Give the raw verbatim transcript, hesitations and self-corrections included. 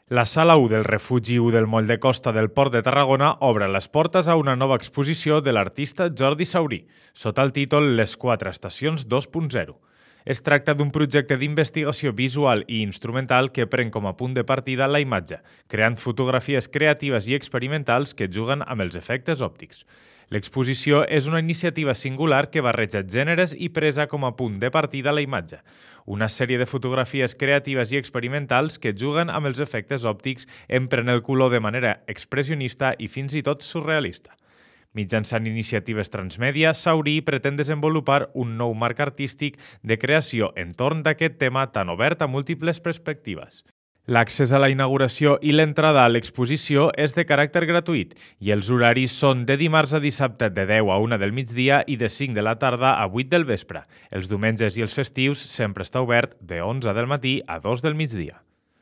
La Sala u del Refugi u del Moll de Costa del Port de Tarragona obre les portes a una nova exposició de l'artista Jordi Saurí, sota el títol Les quatre estacions dos punt zero. Es tracta d'un projecte d'investigació visual i instrumental que pren com a punt de partida la imatge, creant fotografies creatives i experimentals que juguen amb els efectes òptics. L'exposició és una iniciativa singular que barreja gèneres i presa com a punt de partida la imatge. Una sèrie de fotografies creatives i experimentals que juguen amb els efectes òptics, empren el color de manera expressionista i fins i tot surrealista. Mitjançant iniciatives transmèdia, Saurí pretén desenvolupar un nou marc artístic de creació entorn d'aquest tema tan obert a múltiples perspectives. L'accés a la inauguració i l'entrada a l'exposició és de caràcter gratuït i els horaris són de dimarts a dissabte de deu a una del migdia i de cinc de la tarda a vuit del vespre. Els diumenges i els festius sempre està obert de onze del matí a dos del migdia.